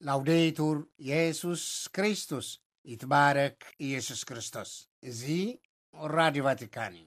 ላውዴቱር የሱስ ክርስቶስ፣ ይትባረክ ኢየሱስ ክርስቶስ። እዚ ራዲዮ ቫቲካን እዩ።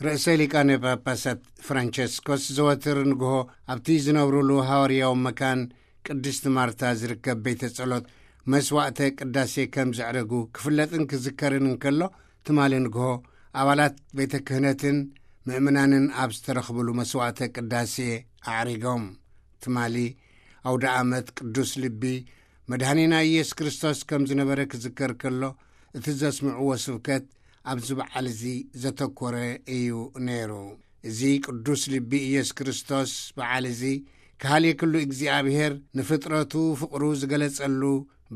ርእሰ ሊቃነ ጳጳሳት ፍራንቸስኮስ ዘወትር ንግሆ ኣብቲ ዝነብሩሉ ሃዋርያዊ መካን ቅድስቲ ማርታ ዝርከብ ቤተ ጸሎት መስዋዕተ ቅዳሴ ከም ዘዕረጉ ክፍለጥን ክዝከርን እንከሎ፣ ትማሊ ንግሆ ኣባላት ቤተ ክህነትን ምእምናንን ኣብ ዝተረኽብሉ መስዋዕተ ቅዳሴ ኣዕሪጎም። ትማሊ ኣውደ ዓመት ቅዱስ ልቢ መድኃኒና ኢየሱስ ክርስቶስ ከም ዝነበረ ክዝከር ከሎ፣ እቲ ዘስምዕዎ ስብከት ኣብዚ በዓል እዚ ዘተኮረ እዩ ነይሩ። እዚ ቅዱስ ልቢ ኢየሱስ ክርስቶስ በዓል እዚ፣ ከሃልየ ኩሉ እግዚኣብሔር ንፍጥረቱ ፍቕሩ ዝገለጸሉ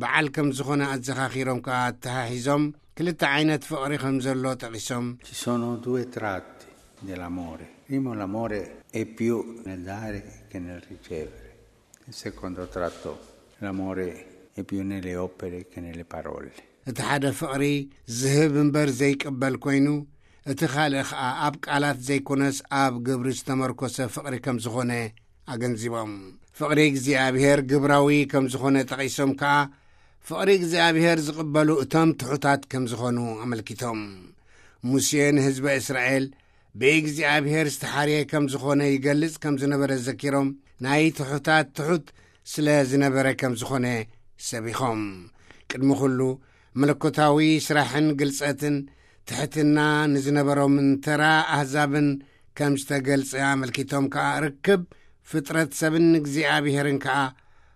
በዓል ከም ዝኾነ ኣዘኻኺሮም ከኣ ኣተሓሒዞም፣ ክልተ ዓይነት ፍቕሪ ከም ዘሎ ጠቒሶም፣ Ci sono due tratti dell'amore. Primo, l'amore è più nel dare che nel ricevere. Il secondo tratto, l'amore è più nelle opere che nelle parole. እቲ ሓደ ፍቕሪ ዝህብ እምበር ዘይቅበል ኮይኑ፣ እቲ ካልእ ኸኣ ኣብ ቃላት ዘይኮነስ ኣብ ግብሪ ዝተመርኮሰ ፍቕሪ ከም ዝኾነ ኣገንዚቦም። ፍቕሪ እግዚኣብሔር ግብራዊ ከም ዝኾነ ጠቒሶም ከኣ፣ ፍቕሪ እግዚኣብሔር ዝቕበሉ እቶም ትሑታት ከም ዝኾኑ ኣመልኪቶም። ሙሴ ንህዝበ እስራኤል ብእግዚኣብሔር ዝተሓርየ ከም ዝኾነ ይገልጽ ከም ዝነበረ ዘኪሮም፣ ናይ ትሑታት ትሑት ስለ ዝነበረ ከም ዝኾነ ሰቢኾም። ቅድሚ ኩሉ መለኮታዊ ስራሕን ግልጸትን ትሕትና ንዝነበሮምን ተራ ኣህዛብን ከም ዝተገልጸ ኣመልኪቶም ከኣ፣ ርክብ ፍጥረት ሰብን እግዚኣብሔርን ከኣ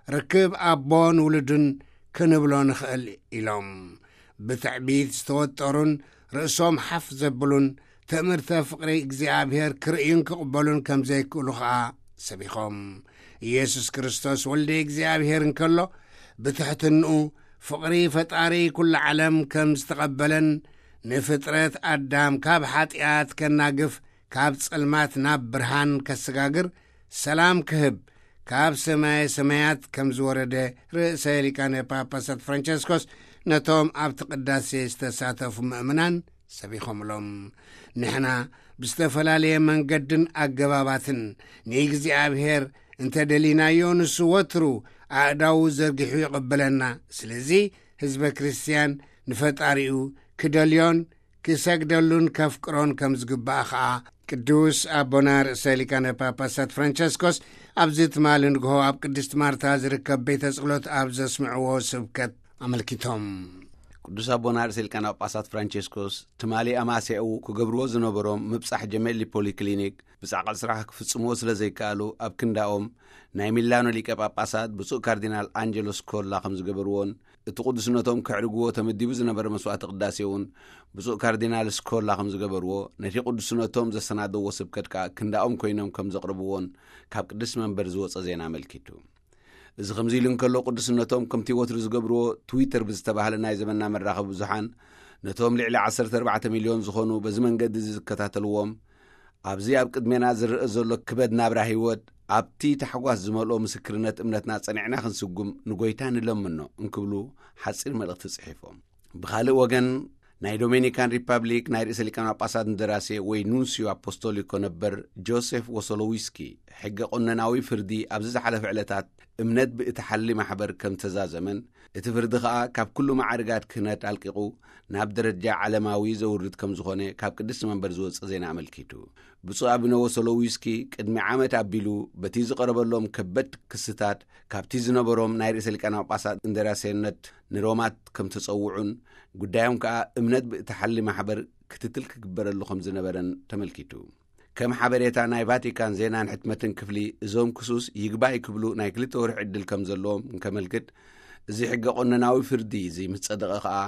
ርክብ ኣቦን ውሉድን ክንብሎ ንኽእል ኢሎም። ብትዕቢት ዝተወጠሩን ርእሶም ሓፍ ዘብሉን ትእምርተ ፍቕሪ እግዚኣብሔር ክርእዩን ክቕበሉን ከም ዘይክእሉ ኸኣ ሰቢኾም። ኢየሱስ ክርስቶስ ወልደ እግዚኣብሔር እንከሎ፣ ብትሕትንኡ ፍቕሪ ፈጣሪ ኩሉ ዓለም ከም ዝተቐበለን፣ ንፍጥረት ኣዳም ካብ ሓጢኣት ከናግፍ፣ ካብ ጸልማት ናብ ብርሃን ከሰጋግር፣ ሰላም ክህብ ካብ ሰማየ ሰማያት ከም ዝወረደ፣ ርእሰ ሊቃነ ጳጳሳት ፍራንቸስኮስ ነቶም ኣብቲ ቅዳሴ ዝተሳተፉ ምእምናን ሰቢኾምሎም። ንሕና ብዝተፈላለየ መንገድን ኣገባባትን ንእግዚኣብሔር እንተ ደሊናዮ፣ ንሱ ወትሩ ኣእዳዉ ዘርጊሑ ይቕበለና። ስለዚ ህዝበ ክርስትያን ንፈጣሪኡ ክደልዮን ክሰግደሉን ከፍቅሮን ከም ዝግባእ ኸኣ፣ ቅዱስ ኣቦና ርእሰ ሊቃነ ጳጳሳት ፍራንቸስኮስ ኣብዚ ትማሊ ንግሆ ኣብ ቅድስት ማርታ ዝርከብ ቤተ ጸሎት ኣብ ዘስምዕዎ ስብከት ኣመልኪቶም። ቅዱስ ኣቦና ርእሰ ሊቃነ ጳጳሳት ፍራንቸስኮስ ትማሊ ኣማስያኡ ክገብርዎ ዝነበሮም ምብጻሕ ጀሜሊ ፖሊክሊኒክ ብጻዕቂ ስራሕ ክፍጽምዎ ስለ ዘይከኣሉ፣ ኣብ ክንዳኦም ናይ ሚላኖ ሊቀ ጳጳሳት ብፁዕ ካርዲናል ኣንጀሎ ስኮላ ከም ዝገበርዎን፣ እቲ ቅዱስነቶም ከዕርግዎ ተመዲቡ ዝነበረ መስዋዕቲ ቅዳሴ እውን ብፁዕ ካርዲናል ስኮላ ከም ዝገበርዎ፣ ነቲ ቅዱስነቶም ዘሰናደዎ ስብከት ከኣ ክንዳኦም ኮይኖም ከም ዘቕርብዎን ካብ ቅድስት መንበር ዝወጸ ዜና ኣመልኪቱ። እዚ ከምዚ ኢሉ እንከሎ፣ ቅዱስነቶም ከምቲ ወትሩ ዝገብርዎ ትዊተር ብዝተባህለ ናይ ዘመንና መራኸቢ ብዙሓን፣ ነቶም ልዕሊ ዓሰርተ ኣርባዕተ ሚልዮን ዝኾኑ በዚ መንገዲ እዚ ዝከታተልዎም፣ ኣብዚ ኣብ ቅድሜና ዝረአ ዘሎ ክበድ ናብራ ህይወት፣ ኣብቲ ታሕጓስ ዝመልኦ ምስክርነት እምነትና ጸኒዕና ክንስጉም ንጎይታ ንለምኖ እንክብሉ ሓጺር መልእኽቲ ጽሒፎም። ብኻልእ ወገን፣ ናይ ዶሜኒካን ሪፓብሊክ ናይ ርእሰ ሊቃነ ጳጳሳት እንደራሴ ወይ ኑንስዮ ኣፖስቶሊኮ ነበር ጆሴፍ ወሶሎዊስኪ፣ ሕገ ቆነናዊ ፍርዲ ኣብዚ ዝሓለፈ ዕለታት እምነት ብእትሓሊ ማሕበር ከም ተዛዘመን፣ እቲ ፍርዲ ኸኣ ካብ ኩሉ ማዕርጋት ክህነት ኣልቂቑ ናብ ደረጃ ዓለማዊ ዘውርድ ከም ዝኾነ ካብ ቅድስቲ መንበር ዝወጽእ ዜና ኣመልኪቱ። ብፁዕ ኣቡነ ወሶሎዊስኪ ቅድሚ ዓመት ኣቢሉ በቲ ዝቐረበሎም ከበድ ክስታት፣ ካብቲ ዝነበሮም ናይ ርእሰ ሊቃነ ጳጳሳት እንደራሴነት ንሮማት ከም ተጸውዑን፣ ጉዳዮም ከኣ እምነት ብእትሓሊ ማሕበር ክትትል ክግበረሉ ከም ዝነበረን ተመልኪቱ። ከም ሓበሬታ ናይ ቫቲካን ዜናን ሕትመትን ክፍሊ፣ እዞም ክሱስ ይግባይ ክብሉ ናይ ክልተ ወርሒ ዕድል ከም ዘለዎም እንከመልክት፣ እዚ ሕገ ቆነናዊ ፍርዲ እዚ ምስ ጸደቐ ከኣ፣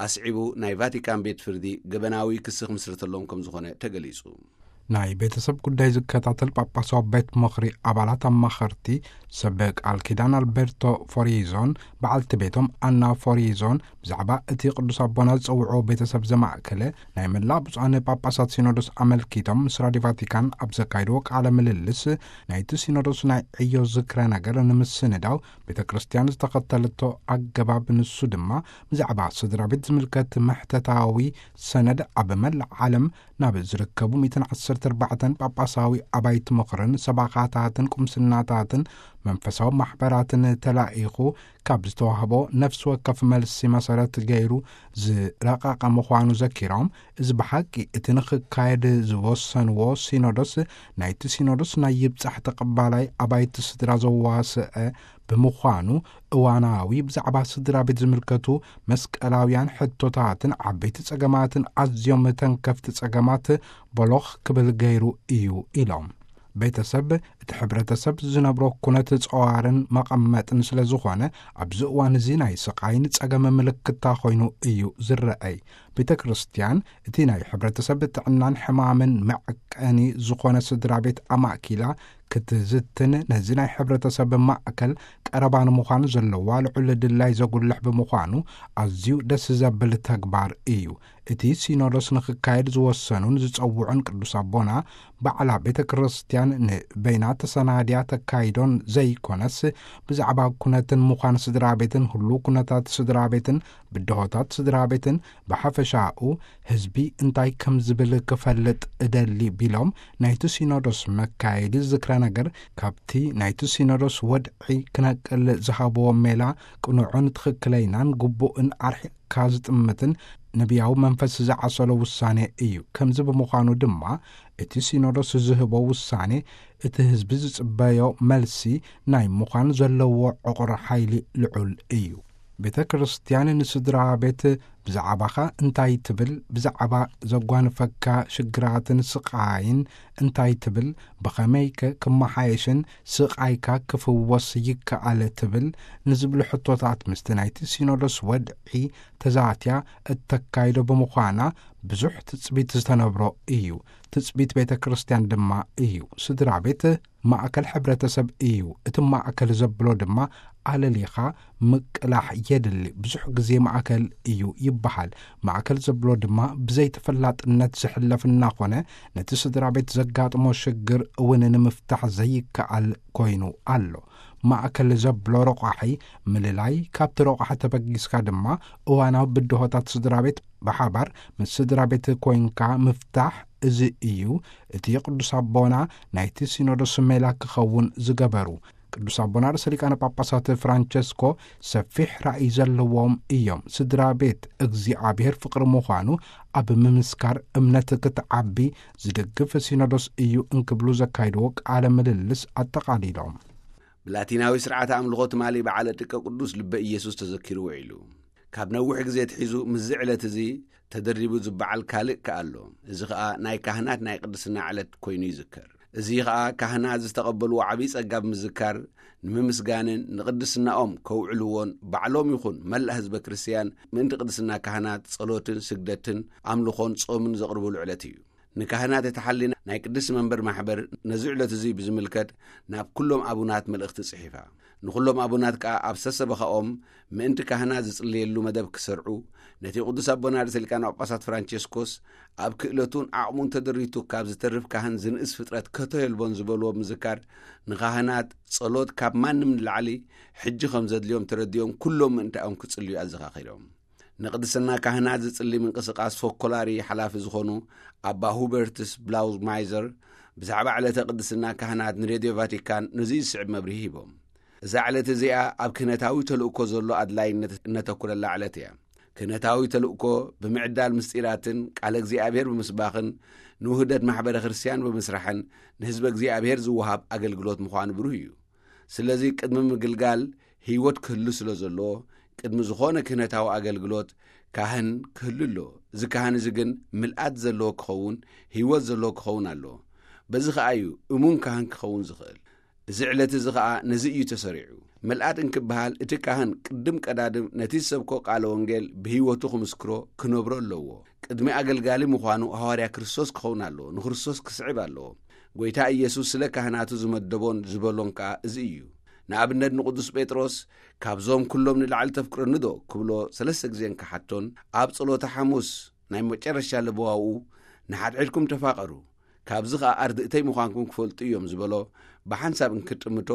ኣስዒቡ ናይ ቫቲካን ቤት ፍርዲ ገበናዊ ክሲ ክምስርተሎም ከም ዝኾነ ተገሊጹ። ናይ ቤተሰብ ጉዳይ ዝከታተል ጳጳሳዊ ቤት ምኽሪ ኣባላት ኣማኸርቲ ሰብ ቃል ኪዳን ኣልቤርቶ ፎሪዞን በዓልቲ ቤቶም ኣና ፎሪዞን ብዛዕባ እቲ ቅዱስ ኣቦና ዝጸውዖ ቤተሰብ ዘማእከለ ናይ መላእ ብፁዓን ጳጳሳት ሲኖዶስ ኣመልኪቶም ምስ ራዲዮ ቫቲካን ኣብ ዘካይድዎ ቃለ ምልልስ፣ ናይቲ ሲኖዶስ ናይ ዕዮ ዝክረ ነገር ንምስንዳው ቤተ ክርስቲያን ዝተኸተለቶ ኣገባብ፣ ንሱ ድማ ብዛዕባ ስድራ ቤት ዝምልከት መሕተታዊ ሰነድ ኣብ መላእ ዓለም ናብ ዝርከቡ ሚእትን ዓሰርተ ኣርባዕተን ጳጳሳዊ ኣባይቲ ምኽርን ሰባኻታትን ቁምስናታትን መንፈሳዊ ማሕበራትን ተላኢኹ ካብ ዝተዋህቦ ነፍሲ ወከፍ መልሲ መሰረት ገይሩ ዝረቐቐ ምዃኑ ዘኪሮም፣ እዚ ብሓቂ እቲ ንኽካየድ ዝወሰንዎ ሲኖዶስ፣ ናይቲ ሲኖዶስ ናይ ይብጻሕ ተቐባላይ ኣባይቲ ስድራ ዘዋስአ ብምዃኑ፣ እዋናዊ ብዛዕባ ስድራ ቤት ዝምልከቱ መስቀላውያን ሕቶታትን ዓበይቲ ጸገማትን ኣዝዮም ተንከፍቲ ጸገማት ቦሎኽ ክብል ገይሩ እዩ ኢሎም። ቤተሰብ እቲ ሕብረተሰብ ዝነብሮ ኩነት ጸዋርን መቐመጥን ስለ ዝኾነ፣ ኣብዚ እዋን እዚ ናይ ስቓይን ጸገም ምልክታ ኮይኑ እዩ ዝረኣይ። ቤተ ክርስቲያን እቲ ናይ ሕብረተሰብ ጥዕናን ሕማምን መዐቀኒ ዝኾነ ስድራ ቤት ኣማእኪላ ክትዝትን፣ ነዚ ናይ ሕብረተሰብ ማእከል ቀረባ ንምዃን ዘለዋ ልዑል ድላይ ዘጉልሕ ብምዃኑ፣ ኣዝዩ ደስ ዘብል ተግባር እዩ። እቲ ሲኖዶስ ንኽካየድ ዝወሰኑን ዝጸውዑን ቅዱስ ኣቦና፣ ባዕላ ቤተ ክርስቲያን ንበይና ተሰናድያ ተካይዶን ዘይኮነስ፣ ብዛዕባ ኩነትን ምዃን ስድራ ቤትን፣ ህሉው ኩነታት ስድራ ቤትን፣ ብድሆታት ስድራ ቤትን፣ ብሓፈሻኡ ህዝቢ እንታይ ከም ዝብል ክፈልጥ እደሊ ቢሎም፣ ናይቲ ሲኖዶስ መካየዲ ዝክረ ነገር ካብቲ ናይቲ ሲኖዶስ ወድዒ ክነቅል ዝሃብዎ ሜላ ቅኑዕን ትኽክለይናን ግቡእን ኣርሒቕካ ዝጥምትን ነቢያዊ መንፈስ ዝዓሰሎ ውሳኔ እዩ። ከምዚ ብምዃኑ ድማ እቲ ሲኖዶስ ዝህቦ ውሳኔ እቲ ህዝቢ ዝጽበዮ መልሲ ናይ ምዃን ዘለዎ ዕቑር ሓይሊ ልዑል እዩ። ቤተ ክርስቲያን ንስድራ ቤት ብዛዕባኻ እንታይ ትብል? ብዛዕባ ዘጓንፈካ ሽግራትን ስቓይን እንታይ ትብል? ብኸመይከ ክመሓየሽን ስቓይካ ክፍወስ ይከኣል ትብል? ንዝብሉ ሕቶታት ምስቲ ናይቲ ሲኖዶስ ወድዒ ተዛትያ እተካይዶ ብምዃና ብዙሕ ትጽቢት ዝተነብሮ እዩ። ትጽቢት ቤተ ክርስቲያን ድማ እዩ። ስድራ ቤት ማእከል ሕብረተሰብ እዩ። እቲ ማእከል ዘብሎ ድማ ኣለሊኻ ምቅላሕ የድሊ። ብዙሕ ግዜ ማእከል እዩ ይበሃል። ማእከል ዘብሎ ድማ ብዘይተፈላጥነት ዝሕለፍ እናኾነ፣ ነቲ ስድራ ቤት ዘጋጥሞ ሽግር እውን ንምፍታሕ ዘይከኣል ኮይኑ ኣሎ። ማእከል ዘብሎ ረቋሒ ምልላይ፣ ካብቲ ረቋሒ ተበጊስካ ድማ እዋናዊ ብድሆታት ስድራ ቤት ብሓባር ምስ ስድራ ቤት ኮይንካ ምፍታሕ፣ እዚ እዩ እቲ ቅዱስ ኣቦና ናይቲ ሲኖዶስ ሜላ ክኸውን ዝገበሩ። ቅዱስ ኣቦና ርእሰ ሊቃነ ጳጳሳት ፍራንቸስኮ ሰፊሕ ራእይ ዘለዎም እዮም። ስድራ ቤት እግዚኣብሔር ፍቕሪ ምዃኑ ኣብ ምምስካር እምነት ክትዓቢ ዝድግፍ ሲኖዶስ እዩ እንክብሉ ዘካይድዎ ቃለ ምልልስ ኣጠቓሊሎም። ብላቲናዊ ስርዓተ ኣምልኾ ትማሊ በዓለ ጥቀ ቅዱስ ልበ ኢየሱስ ተዘኪሩ ውዒሉ። ካብ ነዊሕ ግዜ ኣትሒዙ ምስዚ ዕለት እዚ ተደሪቡ ዝበዓል ካልእ ከኣ ኣሎ። እዚ ኸኣ ናይ ካህናት ናይ ቅድስና ዕለት ኮይኑ ይዝከር። እዚ ኸኣ ካህናት ዝተቐበልዎ ዓብዪ ጸጋ ብምዝካር፣ ንምምስጋንን ንቅድስናኦም ከውዕልዎን ባዕሎም ይኹን መላእ ህዝበ ክርስትያን ምእንቲ ቅድስና ካህናት ጸሎትን ስግደትን ኣምልኾን ጾምን ዘቕርብሉ ዕለት እዩ። ንካህናት እታ ሓሊና ናይ ቅድስቲ መንበር ማሕበር ነዚ ዕለት እዚ ብዝምልከት ናብ ኩሎም ኣቡናት መልእኽቲ ጽሒፋ። ንኹሎም ኣቡናት ከኣ ኣብ ሰሰበኻኦም ምእንቲ ካህናት ዝጽልየሉ መደብ ክሰርዑ፣ ነቲ ቅዱስ ኣቦና ርእሰ ሊቃነ ጳጳሳት ፍራንቸስኮስ ኣብ ክእለቱን ዓቕሙን ተደሪቱ ካብ ዝተርፍ ካህን ዝንእስ ፍጥረት ከቶ የልቦን ዝበልዎ ብምዝካር፣ ንካህናት ጸሎት ካብ ማንም ንላዕሊ ሕጂ ከም ዘድልዮም ተረዲኦም ኩሎም ምእንታኦም ክጽልዩ ኣዘኻኺሮም። ንቅድስና ካህናት ዝጽሊ ምንቅስቃስ ፎኮላሪ ሓላፊ ዝኾኑ ኣባ ሁበርትስ ብላውማይዘር ብዛዕባ ዕለተ ቅድስና ካህናት ንሬድዮ ቫቲካን ነዚ ዝስዕብ መብርሂ ሂቦም። እዛ ዕለት እዚኣ ኣብ ክህነታዊ ተልእኮ ዘሎ ኣድላይነት እነተኩረላ ዕለት እያ። ክህነታዊ ተልእኮ ብምዕዳል ምስጢራትን ቃለ እግዚኣብሔር ብምስባኽን ንውህደት ማሕበረ ክርስቲያን ብምስራሕን ንህዝበ እግዚኣብሔር ዝወሃብ ኣገልግሎት ምዃኑ ብሩህ እዩ። ስለዚ ቅድሚ ምግልጋል ህይወት ክህሉ ስለ ዘለዎ፣ ቅድሚ ዝኾነ ክህነታዊ ኣገልግሎት ካህን ክህሉ ኣለዎ። እዚ ካህን እዚ ግን ምልኣት ዘለዎ ክኸውን፣ ህይወት ዘለዎ ክኸውን ኣለዎ። በዚ ኸኣ እዩ እሙን ካህን ክኸውን ዝኽእል። እዚ ዕለት እዚ ኸኣ ነዚ እዩ ተሰሪዑ። ምልኣት እንክበሃል እቲ ካህን ቅድም ቀዳድም ነቲ ዝሰብኮ ቃለ ወንጌል ብህይወቱ ክምስክሮ፣ ክነብሮ ኣለዎ። ቅድሚ ኣገልጋሊ ምዃኑ ሃዋርያ ክርስቶስ ክኸውን ኣለዎ፣ ንክርስቶስ ክስዕብ ኣለዎ። ጐይታ ኢየሱስ ስለ ካህናቱ ዝመደቦን ዝበሎን ከኣ እዚ እዩ። ንኣብነት ንቅዱስ ጴጥሮስ፣ "ካብዞም ኩሎም ንላዕሊ ተፍቅረኒ ዶ?" ክብሎ ሰለስተ ግዜ እንክሓቶን፣ ኣብ ጸሎተ ሓሙስ ናይ መጨረሻ ለበዋኡ፣ "ንሓድሕድኩም ተፋቐሩ፣ ካብዚ ኸኣ ኣርድእተይ ምዃንኩም ክፈልጡ እዮም" ዝበሎ ብሓንሳብ እንክጥምቶ፣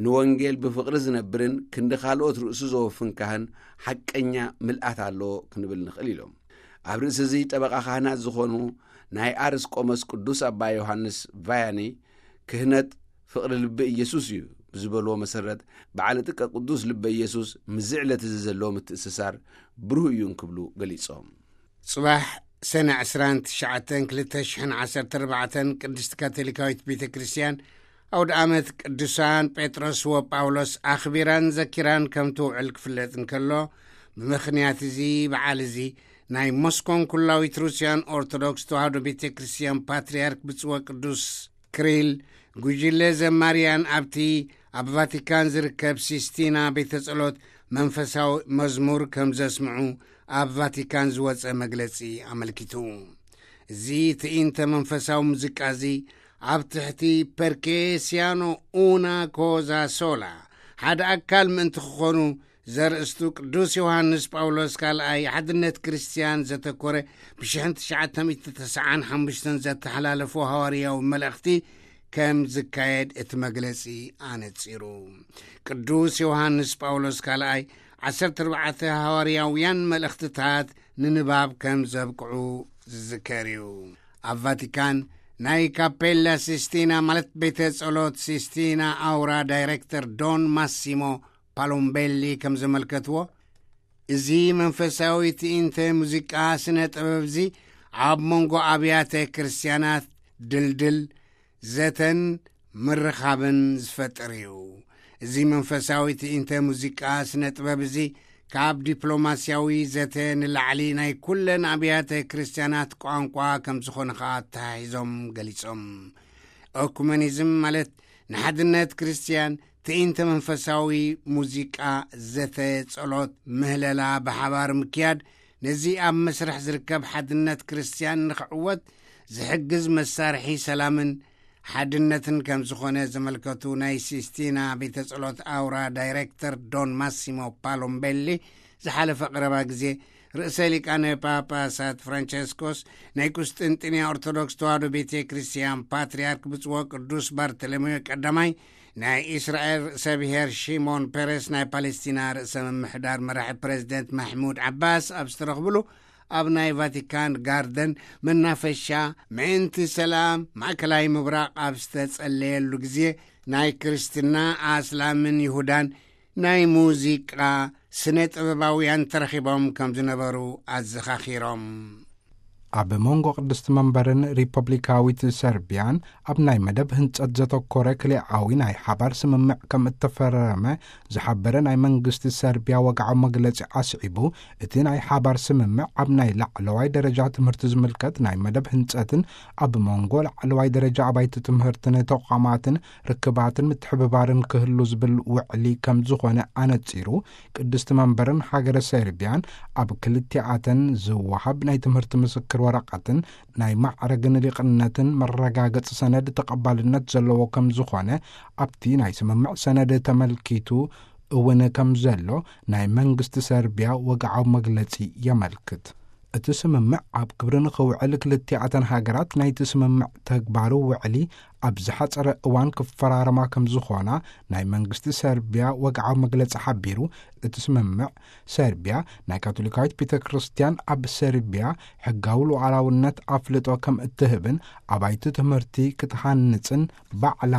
ንወንጌል ብፍቕሪ ዝነብርን ክንዲ ካልኦት ርእሱ ዘወፍን ካህን ሓቀኛ ምልኣት ኣለዎ ክንብል ንኽእል ኢሎም። ኣብ ርእሲ እዚ ጠበቓ ካህናት ዝኾኑ ናይ ኣርስ ቆመስ ቅዱስ ኣባ ዮሃንስ ቫያኒ፣ "ክህነት ፍቕሪ ልቢ ኢየሱስ እዩ" ብዝበልዎ መሰረት፣ በዓለ ጥቀ ቅዱስ ልበ ኢየሱስ ምስዚ ዕለት እዚ ዘለዎ ምትእስሳር ብሩህ እዩ እንክብሉ ገሊጾም። ጽባሕ ሰነ ዕስራን ትሽዓተን ክልተ ሽሕን ዓሰርተ ኣርባዕተን ቅድስቲ ካቶሊካዊት ቤተ ክርስቲያን ኣውደ ኣመት ቅዱሳን ጴጥሮስ ወጳውሎስ ኣኽቢራን ዘኪራን ከም ትውዕል ክፍለጥ እንከሎ፣ ብምኽንያት እዚ በዓል እዚ ናይ ሞስኮን ኩላዊት ሩስያን ኦርቶዶክስ ተዋህዶ ቤተ ክርስቲያን ፓትርያርክ ብፁዕ ወቅዱስ ክሪል፣ ጉጅለ ዘማርያን ኣብቲ ኣብ ቫቲካን ዝርከብ ሲስቲና ቤተ ጸሎት መንፈሳዊ መዝሙር ከም ዘስምዑ ኣብ ቫቲካን ዝወጸ መግለጺ ኣመልኪቱ። እዚ ትዕይንተ መንፈሳዊ ሙዚቃ እዚ ኣብ ትሕቲ ፐርኬ ሲያኖ ኡና ኮዛ ሶላ ሓደ ኣካል ምእንቲ ክኾኑ ዘርእስቱ ቅዱስ ዮሃንስ ጳውሎስ ካልኣይ ሓድነት ክርስትያን ዘተኮረ ብሽሕን ትሽዓተ ሚእቲ ተስዓን ሓሙሽተን ዘተሓላለፎ ሃዋርያዊ መልእኽቲ ከም ዝካየድ እቲ መግለጺ ኣነጺሩ። ቅዱስ ዮሃንስ ጳውሎስ ካልኣይ ዓሰርተ ኣርባዕተ ሃዋርያውያን መልእኽትታት ንንባብ ከም ዘብቅዑ ዝዝከር እዩ። ኣብ ቫቲካን ናይ ካፔላ ሲስቲና ማለት ቤተ ጸሎት ሲስቲና ኣውራ ዳይሬክተር ዶን ማሲሞ ፓሎምቤሊ ከም ዘመልከትዎ፣ እዚ መንፈሳዊ ትዕይንተ ሙዚቃ ስነ ጥበብ እዚ ኣብ መንጎ ኣብያተ ክርስቲያናት ድልድል ዘተን ምርኻብን ዝፈጥር እዩ። እዚ መንፈሳዊ ትዕይንተ ሙዚቃ ስነ ጥበብ እዚ ካብ ዲፕሎማስያዊ ዘተ ንላዕሊ ናይ ኩለን ኣብያተ ክርስቲያናት ቋንቋ ከም ዝኾነ ኸኣ ኣተሓሒዞም ገሊጾም። ኦኩመኒዝም ማለት ንሓድነት ክርስትያን ትዕይንተ መንፈሳዊ ሙዚቃ፣ ዘተ፣ ጸሎት፣ ምህለላ ብሓባር ምክያድ፣ ነዚ ኣብ መስርሕ ዝርከብ ሓድነት ክርስትያን ንኽዕወት ዝሕግዝ መሳርሒ ሰላምን ሓድነትን ከም ዝኾነ ዘመልከቱ ናይ ሲስቲና ቤተ ጸሎት ኣውራ ዳይሬክተር ዶን ማሲሞ ፓሎምቤሊ፣ ዝሓለፈ ቀረባ ግዜ ርእሰ ሊቃነ ጳጳሳት ፍራንቸስኮስ ናይ ቁስጥንጥንያ ኦርቶዶክስ ተዋህዶ ቤተ ክርስቲያን ፓትርያርክ ብፁዕ ቅዱስ ባርተሎሜዮ ቀዳማይ፣ ናይ እስራኤል ርእሰ ብሔር ሺሞን ፔሬስ፣ ናይ ፓሌስቲና ርእሰ ምምሕዳር መራሒ ፕሬዚደንት ማሕሙድ ዓባስ ኣብ ዝተረኽብሉ ኣብ ናይ ቫቲካን ጋርደን መናፈሻ ምእንቲ ሰላም ማእከላይ ምብራቕ ኣብ ዝተጸለየሉ ግዜ፣ ናይ ክርስትና ኣስላምን ይሁዳን ናይ ሙዚቃ ስነ ጥበባውያን ተረኺቦም ከም ዝነበሩ ኣዘኻኺሮም። ኣብ መንጎ ቅድስቲ መንበርን ሪፐብሊካዊት ሰርቢያን ኣብ ናይ መደብ ህንጸት ዘተኮረ ክልኤኣዊ ናይ ሓባር ስምምዕ ከም እተፈረመ ዝሓበረ ናይ መንግስቲ ሰርቢያ ወግዓዊ መግለጺ ኣስዒቡ፣ እቲ ናይ ሓባር ስምምዕ ኣብ ናይ ላዕለዋይ ደረጃ ትምህርቲ ዝምልከት ናይ መደብ ህንጸትን ኣብ መንጎ ላዕለዋይ ደረጃ ኣባይቲ ትምህርትን ተቋማትን ርክባትን ምትሕብባርን ክህሉ ዝብል ውዕሊ ከም ዝኾነ ኣነጺሩ፣ ቅድስቲ መንበርን ሃገረ ሰርቢያን ኣብ ክልቲኣተን ዝወሃብ ናይ ትምህርቲ ምስክር ወረቐትን ናይ ማዕረግን ሊቕነትን መረጋገጺ ሰነድ ተቐባልነት ዘለዎ ከም ዝኾነ ኣብቲ ናይ ስምምዕ ሰነድ ተመልኪቱ እውን ከም ዘሎ ናይ መንግስቲ ሰርቢያ ወግዓዊ መግለጺ የመልክት። እቲ ስምምዕ ኣብ ግብሪ ንኽውዕል ክልቲኣተን ሃገራት ናይቲ ስምምዕ ተግባሩ ውዕሊ ኣብ ዝሓጸረ እዋን ክፈራረማ ከም ዝኾና ናይ መንግስቲ ሰርቢያ ወግዓዊ መግለጺ ሓቢሩ። እቲ ስምምዕ ሰርቢያ ናይ ካቶሊካዊት ቤተ ክርስቲያን ኣብ ሰርቢያ ሕጋዊ ሉዓላውነት ኣፍልጦ ከም እትህብን ኣባይቲ ትምህርቲ ክትሃንጽን ባዕላ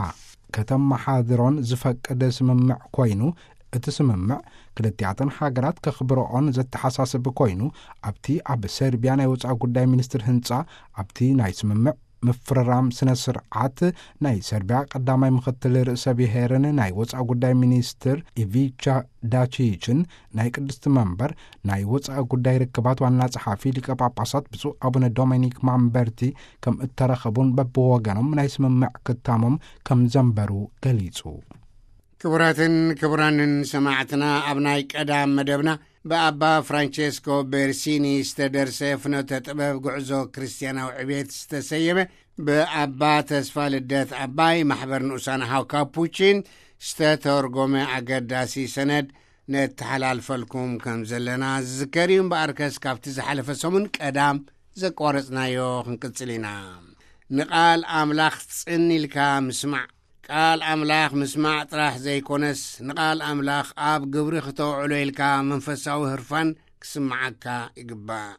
ከተመሓድሮን ዝፈቅድ ስምምዕ ኮይኑ፣ እቲ ስምምዕ ክልቲኣተን ሃገራት ከኽብረኦን ዘተሓሳስብ ኮይኑ፣ ኣብቲ ኣብ ሰርቢያ ናይ ወጻኢ ጉዳይ ሚኒስትር ህንጻ ኣብቲ ናይ ስምምዕ ምፍርራም ስነ ስርዓት ናይ ሰርቢያ ቀዳማይ ምኽትል ርእሰ ብሔርን ናይ ወጻኢ ጉዳይ ሚኒስትር ኢቪቻ ዳቺችን ናይ ቅድስቲ መንበር ናይ ወጻኢ ጉዳይ ርክባት ዋና ጸሓፊ ሊቀ ጳጳሳት ብፁዕ ኣቡነ ዶሚኒክ ማምበርቲ ከም እተረኸቡን በብወገኖም ናይ ስምምዕ ክታሞም ከም ዘንበሩ ገሊጹ። ክቡራትን ክቡራንን ሰማዕትና፣ ኣብ ናይ ቀዳም መደብና ብኣባ ፍራንቸስኮ ቤርሲኒ ዝተደርሰ ፍኖተ ጥበብ ጉዕዞ ክርስትያናዊ ዕቤት ዝተሰየመ፣ ብኣባ ተስፋ ልደት ኣባይ ማሕበር ንኡሳን ኣሃው ካፑቺን ዝተተርጎመ ኣገዳሲ ሰነድ ነተሓላልፈልኩም ከም ዘለና ዝዝከር እዩ። እምበኣርከስ ካብቲ ዝሓለፈ ሰሙን ቀዳም ዘቋረጽናዮ ክንቅጽል ኢና። ንቓል ኣምላኽ ጽን ኢልካ ምስማዕ። ቃል ኣምላኽ ምስማዕ ጥራሕ ዘይኮነስ፣ ንቓል ኣምላኽ ኣብ ግብሪ ክተውዕሎ ኢልካ መንፈሳዊ ህርፋን ክስምዓካ ይግባእ።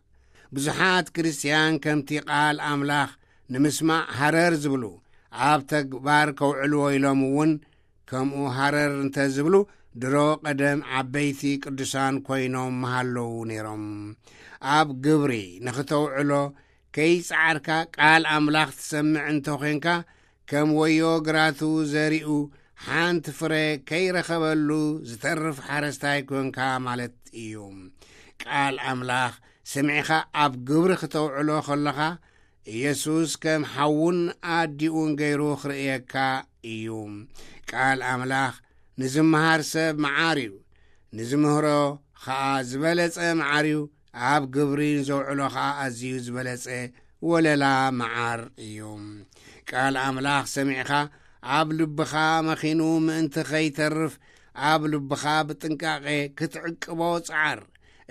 ብዙሓት ክርስትያን ከምቲ ቃል ኣምላኽ ንምስማዕ ሃረር ዝብሉ፣ ኣብ ተግባር ከውዕልዎ ኢሎም እውን ከምኡ ሃረር እንተ ዝብሉ፣ ድሮ ቀደም ዓበይቲ ቅዱሳን ኮይኖም ምሃለዉ ነይሮም። ኣብ ግብሪ ንኽተውዕሎ ከይጸዓርካ ቃል ኣምላኽ ትሰምዕ እንተ ኾንካ፣ ከም ወዮ ግራቱ ዘሪኡ ሓንቲ ፍረ ከይረኸበሉ ዝተርፍ ሓረስታይ ኮንካ ማለት እዩ። ቃል ኣምላኽ ሰሚዕኻ ኣብ ግብሪ ክተውዕሎ ከለኻ፣ ኢየሱስ ከም ሓውን ኣዲኡን ገይሩ ክርእየካ እዩ። ቃል ኣምላኽ ንዝመሃር ሰብ መዓር እዩ፣ ንዝምህሮ ኸኣ ዝበለጸ መዓር እዩ፣ ኣብ ግብሪ ንዘውዕሎ ኸኣ ኣዝዩ ዝበለጸ ወለላ መዓር እዩ። ቃል ኣምላኽ ሰሚዕኻ ኣብ ልብኻ መኺኑ ምእንቲ ኸይተርፍ፣ ኣብ ልብኻ ብጥንቃቄ ክትዕቅቦ ጸዓር።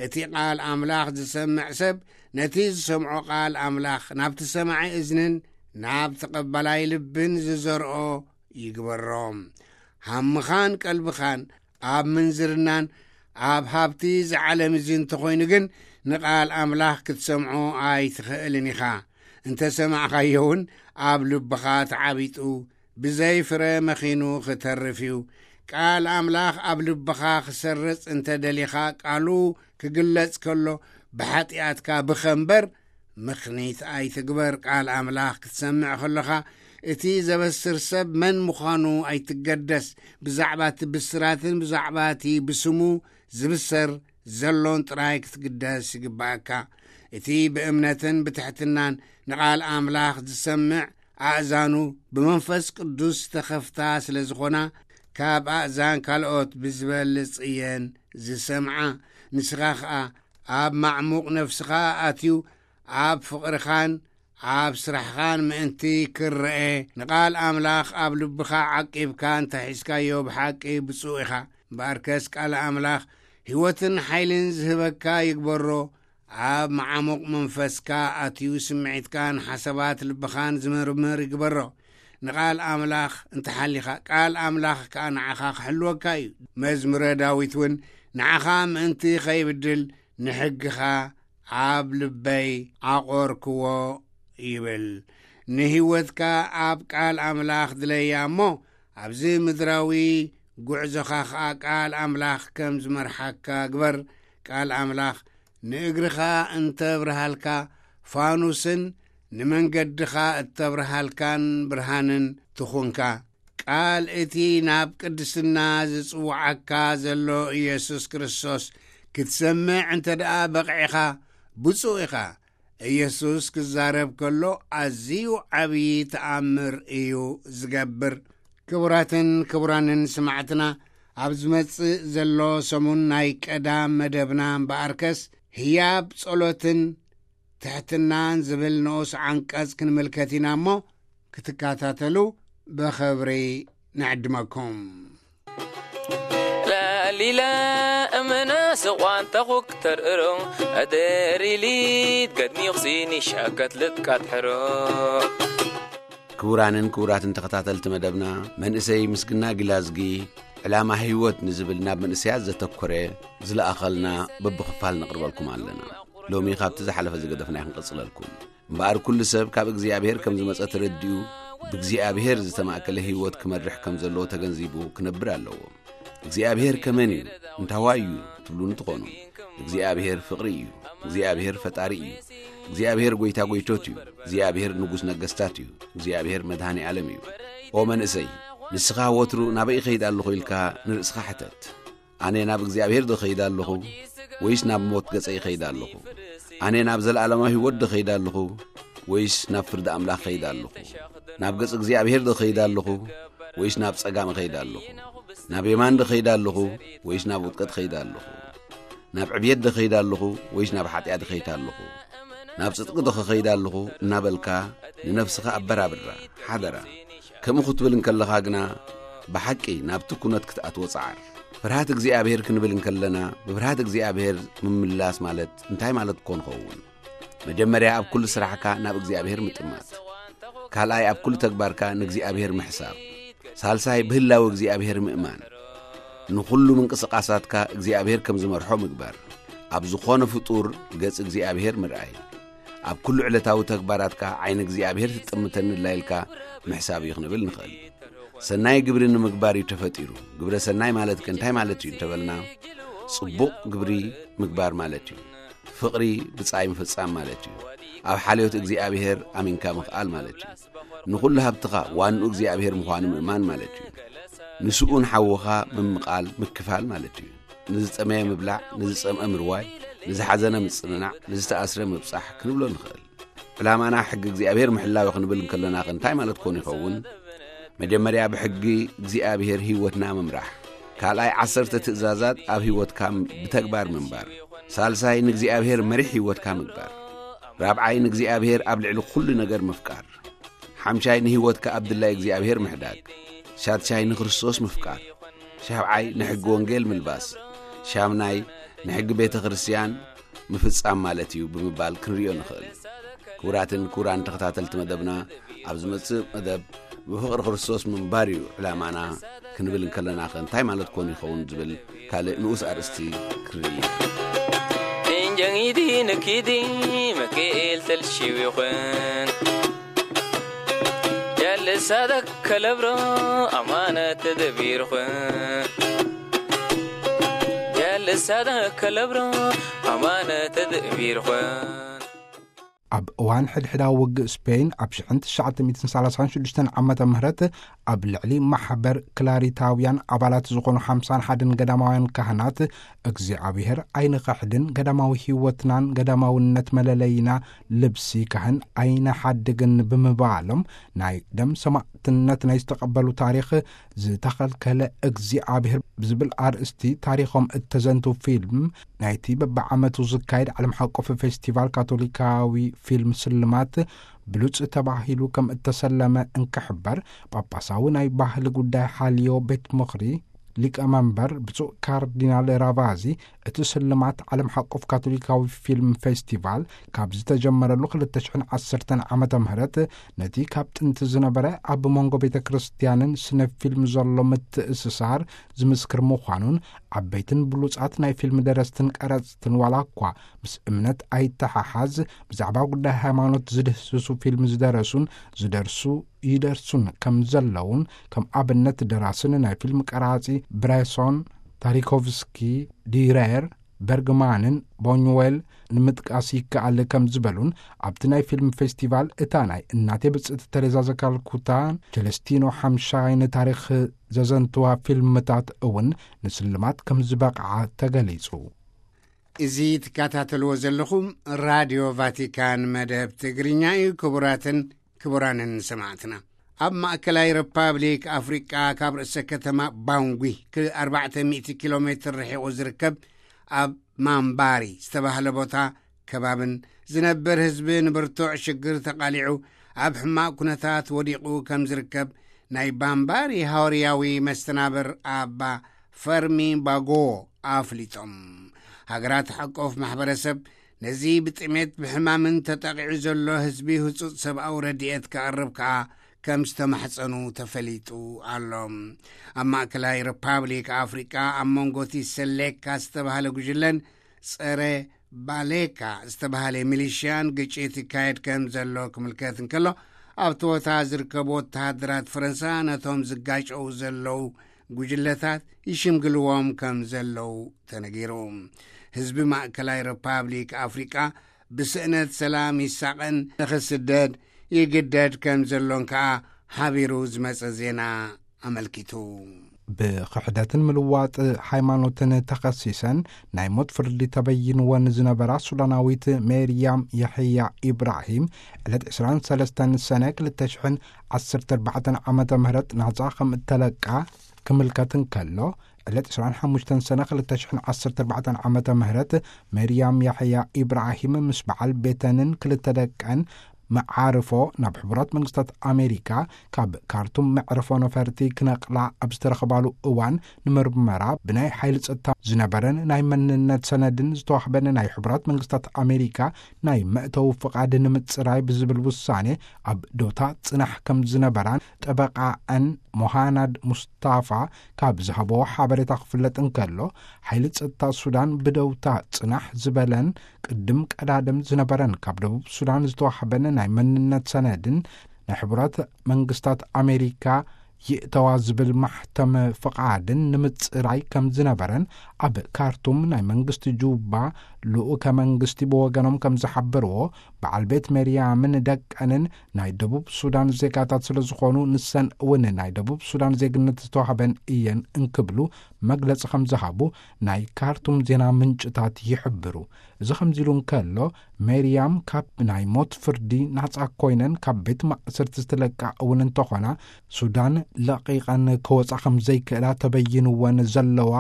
እቲ ቃል ኣምላኽ ዝሰምዕ ሰብ ነቲ ዝሰምዖ ቃል ኣምላኽ ናብቲ ሰማዒ እዝንን ናብ ተቐባላይ ልብን ዝዘርኦ ይግበሮ። ሃምኻን ቀልብኻን ኣብ ምንዝርናን ኣብ ሃብቲ እዚ ዓለም እዚ እንተኾይኑ ግን፣ ንቓል ኣምላኽ ክትሰምዖ ኣይትኽእልን ኢኻ። እንተ ሰማዕካዮ እውን ኣብ ልብኻ ተዓቢጡ ብዘይ ፍረ መኺኑ ክተርፍ እዩ። ቃል ኣምላኽ ኣብ ልብኻ ክሰርጽ እንተ ደሊኻ፣ ቃሉ ክግለጽ ከሎ ብሓጢኣትካ ብኸ እምበር ምኽኒት ኣይትግበር። ቃል ኣምላኽ ክትሰምዕ ከለኻ፣ እቲ ዘበስር ሰብ መን ምዃኑ ኣይትገደስ። ብዛዕባ እቲ ብስራትን ብዛዕባ እቲ ብስሙ ዝብሰር ዘሎን ጥራይ ክትግደስ ይግባእካ። እቲ ብእምነትን ብትሕትናን ንቓል ኣምላኽ ዝሰምዕ ኣእዛኑ ብመንፈስ ቅዱስ ዝተኸፍታ ስለ ዝኾና፣ ካብ ኣእዛን ካልኦት ብዝበልጽ እየን ዝሰምዓ። ንስኻ ኸኣ ኣብ ማዕሙቕ ነፍስኻ ኣትዩ፣ ኣብ ፍቕርኻን ኣብ ስራሕኻን ምእንቲ ክረኤ፣ ንቓል ኣምላኽ ኣብ ልብኻ ዓቂብካ እንተ ሒዝካዮ፣ ብሓቂ ብፁእ ኢኻ። እምበኣርከስ ቃል ኣምላኽ ህይወትን ሓይልን ዝህበካ ይግበሮ። ኣብ መዓሙቕ መንፈስካ ኣትዩ፣ ስምዒትካን ሓሳባት ልብኻን ዝምርምር ይግበሮ። ንቓል ኣምላኽ እንተ ሓሊኻ፣ ቃል ኣምላኽ ከኣ ንዓኻ ክሕልወካ እዩ። መዝሙረ ዳዊት እውን፣ ንዓኻ ምእንቲ ኸይብድል፣ ንሕግኻ ኣብ ልበይ ዓቖርክዎ ይብል። ንህይወትካ ኣብ ቃል ኣምላኽ ድለያ እሞ፣ ኣብዚ ምድራዊ ጉዕዞኻ ኸኣ ቃል ኣምላኽ ከም ዝመርሓካ ግበር። ቃል ኣምላኽ ንእግርኻ እንተብርሃልካ ፋኑስን ንመንገድኻ እተብርሃልካን ብርሃንን ትኹንካ። ቃል እቲ ናብ ቅድስና ዝጽውዓካ ዘሎ ኢየሱስ ክርስቶስ ክትሰምዕ እንተ ደኣ በቕዕኻ፣ ብፁእ ኢኻ። ኢየሱስ ክዛረብ ከሎ ኣዝዩ ዓብዪ ተኣምር እዩ ዝገብር። ክቡራትን ክቡራንን ስማዕትና፣ ኣብ ዝመጽእ ዘሎ ሰሙን ናይ ቀዳም መደብና እምበኣርከስ፣ ህያብ ጸሎትን ትሕትናን ዝብል ንኡስ ዓንቀጽ ክንምልከት ኢና እሞ፣ ክትከታተሉ ብኽብሪ ንዕድመኩም። ላሊላ እምና ስቋን ተኹክ ተርእሮ፣ ኣደሪሊት ገድሚኹሲ ንሻከት ልጥቃት ሕሮ። ክቡራንን ክቡራትን ተኸታተልቲ መደብና፣ መንእሰይ ምስግና ጊላዝጊ ዕላማ ህይወት ንዝብል ናብ መንእሰያት ዘተኮረ ዝለኣኸልና በብኽፋል ነቕርበልኩም ኣለና። ሎሚ ካብቲ ዝሓለፈ ዝገደፍና ክንቅጽለልኩም። እምበኣር ኩሉ ሰብ ካብ እግዚኣብሔር ከም ዝመጸ ተረዲኡ፣ ብእግዚኣብሔር ዝተማእከለ ህይወት ክመርሕ ከም ዘለዎ ተገንዚቡ ክነብር ኣለዎ። እግዚኣብሔር ከመን እዩ? እንታዋይ እዩ? ትብሉኒ ትኾኑ። እግዚኣብሔር ፍቕሪ እዩ። እግዚኣብሔር ፈጣሪ እዩ። እግዚኣብሔር ጐይታ ጐይቶት እዩ። እግዚኣብሔር ንጉስ ነገስታት እዩ። እግዚኣብሔር መድኃኔ ዓለም እዩ። ኦ መንእሰይ፣ ንስኻ ወትሩ ናበይ እኸይድ ኣለኹ ኢልካ ንርእስኻ ሕተት። ኣነ ናብ እግዚኣብሔር ዶ እኸይድ ኣለኹ? ወይስ ናብ ሞት ገጸይ እኸይድ ኣለኹ? ኣነ ናብ ዘለዓለማዊ ህይወት ዶ እኸይድ ኣለኹ? ወይስ ናብ ፍርዲ ኣምላኽ እኸይድ ኣለኹ? ናብ ገጽ እግዚኣብሔር ዶ እኸይድ ኣለኹ? ወይስ ናብ ጸጋም እኸይድ ኣለኹ? ናብ የማን ዶ እኸይድ ኣለኹ? ወይስ ናብ ውድቀት እኸይድ ኣለኹ? ናብ ዕብየት ዶ ኸይድ ኣለኹ ወይስ ናብ ሓጢኣት ኸይድ ኣለኹ? ናብ ጽድቂ ዶ ኸኸይድ ኣለኹ እናበልካ ንነፍስኻ ኣበራብራ፣ ሓደራ። ከምኡ ክትብል እንከለኻ ግና ብሓቂ ናብቲ ኩነት ክትኣትዎ ጸዓር። ፍርሃት እግዚኣብሔር ክንብል እንከለና ብፍርሃት እግዚኣብሔር ምምላስ ማለት እንታይ ማለት ኮን ኸውን? መጀመርያ ኣብ ኩሉ ስራሕካ ናብ እግዚኣብሔር ምጥማት። ካልኣይ ኣብ ኩሉ ተግባርካ ንእግዚኣብሔር ምሕሳብ። ሳልሳይ ብህላዊ እግዚኣብሔር ምእማን። ንኹሉ ምንቅስቓሳትካ እግዚኣብሔር ከም ዝመርሖ ምግባር። ኣብ ዝኾነ ፍጡር ገጽ እግዚኣብሔር ምርኣይ። ኣብ ኩሉ ዕለታዊ ተግባራትካ ዓይኒ እግዚኣብሔር ትጥምተኒ ኣላ ኢልካ ምሕሳብ እዩ ክንብል ንኽእል። ሰናይ ግብሪ ንምግባር እዩ ተፈጢሩ። ግብረ ሰናይ ማለት ከ እንታይ ማለት እዩ እንተበልና፣ ጽቡቕ ግብሪ ምግባር ማለት እዩ። ፍቕሪ ብጻይ ምፍጻም ማለት እዩ። ኣብ ሓልዮት እግዚኣብሔር ኣሚንካ ምኽኣል ማለት እዩ። ንኹሉ ሃብትኻ ዋንኡ እግዚኣብሔር ምዃኑ ምእማን ማለት እዩ። ንስኡን ሓውኻ ምምቓል ምክፋል ማለት እዩ። ንዝጠመየ ምብላዕ፣ ንዝጸምአ ምርዋይ፣ ንዝሓዘነ ምጽንናዕ፣ ንዝተኣስረ ምብጻሕ ክንብሎ ንኽእል። ዕላማና ሕጊ እግዚኣብሔር ምሕላው ክንብል እንከለና እንታይ ማለት ኮን ይኸውን? መጀመርያ ብሕጊ እግዚኣብሔር ህይወትና ምምራሕ። ካልኣይ ዓሰርተ ትእዛዛት ኣብ ህይወትካ ብተግባር ምንባር። ሳልሳይ ንእግዚኣብሔር መሪሕ ህይወትካ ምግባር። ራብዓይ ንእግዚኣብሔር ኣብ ልዕሊ ኩሉ ነገር ምፍቃር። ሓምሻይ ንህይወትካ ኣብ ድላይ እግዚኣብሔር ምሕዳግ። ሻድሻይ ንክርስቶስ ምፍቃር። ሻብዓይ ንሕጊ ወንጌል ምልባስ። ሻምናይ ንሕጊ ቤተ ክርስቲያን ምፍጻም ማለት እዩ ብምባል ክንርእዮ ንኽእል። ክቡራትን ክቡራን ተኸታተልቲ መደብና፣ ኣብ ዝመጽእ መደብ ብፍቕሪ ክርስቶስ ምንባር እዩ ዕላማና ክንብል እንከለና ከ እንታይ ማለት ኮን ይኸውን ዝብል ካልእ ንኡስ ኣርእስቲ ክንርኢ ኢና። እንጀንጊዲ ንኪዲ መክኤል ተልሺው ይኹን ጃልሳዳ ከለብሮ ኣማነ ተደቢርኹን ጃልሳዳ ከለብሮ ኣማነ ተደቢርኹን። ኣብ እዋን ሕድሕዳዊ ውግእ ስፔን ኣብ ሽሕን ትሽዓተ ሚእትን ሰላሳን ሽዱሽተን ዓመተ ምህረት ኣብ ልዕሊ ማሕበር ክላሪታውያን ኣባላት ዝኾኑ ሓምሳን ሓደን ገዳማውያን ካህናት እግዚኣብሔር ኣይንኸሕድን፣ ገዳማዊ ህይወትናን ገዳማውነት መለለይና፣ ልብሲ ካህን ኣይንሓድግን ብምባሎም ናይ ደም ሰማእትነት ናይ ዝተቐበሉ ታሪኽ ዝተኸልከለ እግዚኣብሔር ብዝብል ኣርእስቲ ታሪኾም እተዘንቱ ፊልም ናይቲ በብዓመቱ ዝካየድ ዓለም ሓቆፍ ፌስቲቫል ካቶሊካዊ ፊልም ስልማት ብሉጽ ተባሂሉ ከም እተሰለመ እንክሕበር፣ ጳጳሳዊ ናይ ባህሊ ጉዳይ ሓልዮ ቤት ምኽሪ ሊቀ መንበር ብፁዕ ካርዲናል ራቫዚ፣ እቲ ስልማት ዓለም ሓቆፍ ካቶሊካዊ ፊልም ፌስቲቫል ካብ ዝተጀመረሉ ክልተ ሽሕን ዓሰርተን ዓመተ ምህረት ነቲ ካብ ጥንቲ ዝነበረ ኣብ መንጎ ቤተ ክርስቲያንን ስነ ፊልም ዘሎ ምትእስሳር ዝምስክር ምዃኑን፣ ዓበይትን ብሉጻት ናይ ፊልም ደረስትን ቀረጽትን ዋላ እኳ ምስ እምነት ኣይተሓሓዝ፣ ብዛዕባ ጉዳይ ሃይማኖት ዝድህስሱ ፊልም ዝደረሱን ዝደርሱ ይደርሱን ከም ዘለውን፣ ከም ኣብነት ደራስን ናይ ፊልም ቀራጺ ብሬሶን፣ ታሪኮቭስኪ፣ ዲሬር፣ በርግማንን ቦኝዌል ንምጥቃስ ይከኣል ከም ዝበሉን፣ ኣብቲ ናይ ፊልም ፌስቲቫል እታ ናይ እናቴ ብጽእቲ ተሬዛ ዘካልኩታን ቸለስቲኖ ሓምሻይን ታሪኽ ዘዘንትዋ ፊልምታት እውን ንስልማት ከም ዝበቕዓ ተገሊጹ። እዚ ትከታተልዎ ዘለኹም ራድዮ ቫቲካን መደብ ትግርኛ እዩ። ክቡራትን ክቡራንን ሰማዕትና፣ ኣብ ማእከላይ ሪፓብሊክ ኣፍሪቃ ካብ ርእሰ ከተማ ባንጉ ክ-፣ ኣርባዕተ ሚእቲ ኪሎ ሜትር ርሒቑ ዝርከብ ኣብ ማምባሪ ዝተባህለ ቦታ ከባብን ዝነብር ህዝቢ ንብርቱዕ ሽግር ተቓሊዑ ኣብ ሕማቕ ኩነታት ወዲቑ ከም ዝርከብ ናይ ባምባሪ ሃዋርያዊ መስተናብር ኣባ ፈርሚ ባጎ ኣፍሊጦም። ሃገራት ሓቆፍ ማሕበረሰብ ነዚ ብጥሜት ብሕማምን ተጠቒዑ ዘሎ ህዝቢ ህጹጽ ሰብኣዊ ረድኤት ከቕርብ ከኣ ከም ዝተማሕጸኑ ተፈሊጡ ኣሎ። ኣብ ማእከላይ ሪፓብሊክ ኣፍሪቃ ኣብ መንጎ እቲ ሰሌካ ዝተባህለ ጉጅለን ጸረ ባሌካ ዝተባህለ ሚሊሽያን ግጭት ይካየድ ከም ዘሎ ክምልከት እንከሎ፣ ኣብቲ ቦታ ዝርከቡ ወተሃደራት ፈረንሳ ነቶም ዝጋጨው ዘለዉ ጉጅለታት ይሽምግልዎም ከም ዘለዉ ተነጊሩ። ህዝቢ ማእከላይ ሪፓብሊክ ኣፍሪቃ ብስእነት ሰላም ይሳቐን ንኽስደድ ይግደድ ከም ዘሎን ከኣ ሓቢሩ ዝመጸ ዜና ኣመልኪቱ። ብኽሕደትን ምልዋጥ ሃይማኖትን ተኸሲሰን ናይ ሞት ፍርዲ ተበይንወን ዝነበራ ሱዳናዊት ሜርያም የሕያ ኢብራሂም፣ ዕለት ዕስራን ሰለስተን ሰነ ክልተ ሽሕን ዓሰርተ ኣርባዕተን ዓመተ ምህረት ናጻ ከም እተለቃ ክምልከት እንከሎ፣ ዕለት ዕስራን ሓሙሽተን ሰነ ክልተ ሽሕን ዓሰርተ ኣርባዕተን ዓመተ ምህረት፣ መርያም ያሕያ ኢብራሂም ምስ በዓል ቤተንን ክልተ ደቀን መዓርፎ ናብ ሕቡራት መንግስታት ኣሜሪካ ካብ ካርቱም መዕርፎ ነፈርቲ ክነቕላ ኣብ ዝተረኽባሉ እዋን፣ ንምርመራ ብናይ ሓይሊ ጸጥታ ዝነበረን ናይ መንነት ሰነድን ዝተዋህበን ናይ ሕቡራት መንግስታት ኣሜሪካ ናይ መእተዊ ፍቓድ ንምጽራይ ብዝብል ውሳኔ ኣብ ዶታ ጽናሕ ከም ዝነበራን፣ ጠበቃኣን ሞሃናድ ሙስታፋ ካብ ዝሃበዎ ሓበሬታ ክፍለጥ እንከሎ፣ ሓይሊ ጸጥታ ሱዳን ብደውታ ጽናሕ ዝበለን ቅድም ቀዳድም ዝነበረን ካብ ደቡብ ሱዳን ዝተዋህበን ናይ መንነት ሰነድን ናይ ሕቡራት መንግስታት ኣሜሪካ ይእተዋ ዝብል ማሕተም ፍቓድን ንምጽራይ ከም ዝነበረን፣ ኣብ ካርቱም ናይ መንግስቲ ጁባ ልኡከ መንግስቲ ብወገኖም ከም ዝሓበርዎ፣ በዓል ቤት መርያምን ደቀንን ናይ ደቡብ ሱዳን ዜጋታት ስለ ዝኾኑ፣ ንሰን እውን ናይ ደቡብ ሱዳን ዜግነት ዝተዋህበን እየን እንክብሉ መግለጺ ከም ዝሃቡ ናይ ካርቱም ዜና ምንጭታት ይሕብሩ። እዚ ከምዚ ኢሉ እንከሎ፣ ሜርያም ካብ ናይ ሞት ፍርዲ ናጻ ኮይነን ካብ ቤት ማእሰርቲ ዝተለቃ እውን እንተኾና፣ ሱዳን ለቒቐን ክወጻ ከም ዘይክእላ ተበይንወን ዘለዋ፣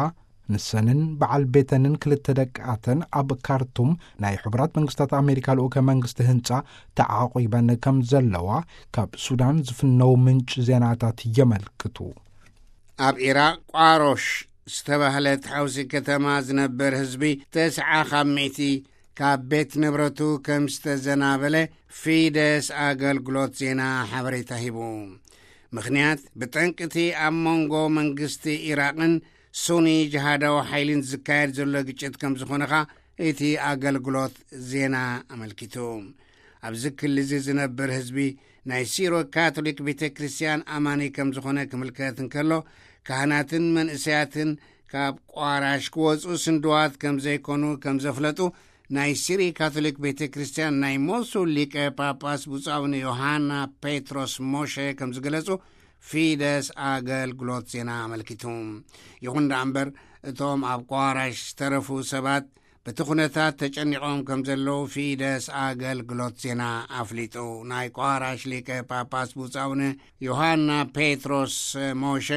ንሰንን በዓል ቤተንን ክልተ ደቃተን ኣብ ካርቱም ናይ ሕቡራት መንግስታት ኣሜሪካ ልኡከ መንግስቲ ህንጻ ተዓቂበን ከም ዘለዋ ካብ ሱዳን ዝፍነው ምንጭ ዜናታት የመልክቱ። ኣብ ኢራቅ ቋሮሽ ዝተባህለት ሓውሲ ከተማ ዝነብር ህዝቢ ተስዓ ካብ ሚእቲ ካብ ቤት ንብረቱ ከም ዝተዘናበለ ፊደስ ኣገልግሎት ዜና ሓበሬታ ሂቡ። ምኽንያት ብጠንቅቲ ኣብ መንጎ መንግስቲ ኢራቕን ሱኒ ጅሃዳዊ ሓይልን ዝካየድ ዘሎ ግጭት ከም ዝኾነ ኸኣ እቲ ኣገልግሎት ዜና ኣመልኪቱ። ኣብዚ ክሊ እዚ ዝነብር ህዝቢ ናይ ሲሮ ካቶሊክ ቤተ ክርስቲያን ኣማኒ ከም ዝኾነ ክምልከት እንከሎ፣ ካህናትን መንእሰያትን ካብ ቋራሽ ክወጹ ስንድዋት ከም ዘይኮኑ ከም ዘፍለጡ ናይ ሲሪ ካቶሊክ ቤተ ክርስቲያን ናይ ሞሱል ሊቀ ጳጳስ ብፁዕ ኣቡነ ዮሃና ፔትሮስ ሞሼ ከም ዝገለጹ ፊደስ ኣገልግሎት ዜና ኣመልኪቱ። ይኹን ደኣ እምበር፣ እቶም ኣብ ቋራሽ ዝተረፉ ሰባት በቲ ኩነታት ተጨኒቖም ከም ዘለዉ ፊደስ ኣገልግሎት ዜና ኣፍሊጡ። ናይ ቋራሽ ሊቀ ጳጳስ ብፁዕ ኣቡነ ዮሃና ፔትሮስ ሞሼ፣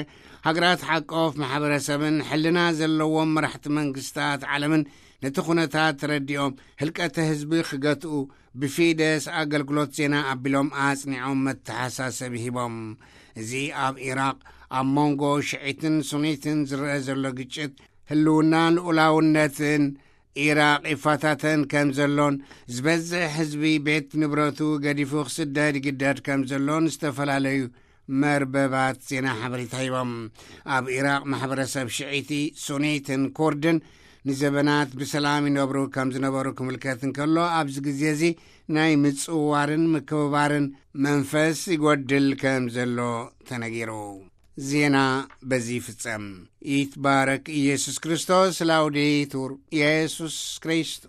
ሃገራት ሓቆፍ ማሕበረሰብን ሕልና ዘለዎም መራሕቲ መንግስታት ዓለምን ነቲ ኩነታት ተረዲኦም ህልቀተ ህዝቢ ክገትኡ ብፊደስ ኣገልግሎት ዜና ኣቢሎም ኣጽኒዖም መተሓሳሰቢ ሂቦም። እዚ ኣብ ኢራቕ ኣብ መንጎ ሽዒትን ሱኒትን ዝረአ ዘሎ ግጭት ህልውናን ልኡላውነትን ኢራቕ ይፈታተን ከም ዘሎን ዝበዝሕ ህዝቢ ቤት ንብረቱ ገዲፉ ክስደድ ይግደድ ከም ዘሎን ዝተፈላለዩ መርበባት ዜና ሓበሬታ ሂቦም። ኣብ ኢራቕ ማሕበረሰብ ሽዒቲ፣ ሱኒትን ኩርድን ንዘበናት ብሰላም ይነብሩ ከም ዝነበሩ ክምልከት እንከሎ፣ ኣብዚ ግዜ እዚ ናይ ምጽውዋርን ምክብባርን መንፈስ ይጎድል ከም ዘሎ ተነጊሩ። ዜና በዚ ይፍጸም። ይትባረክ ኢየሱስ ክርስቶስ። ላውዴቱር ኢየሱስ ክሪስቶስ።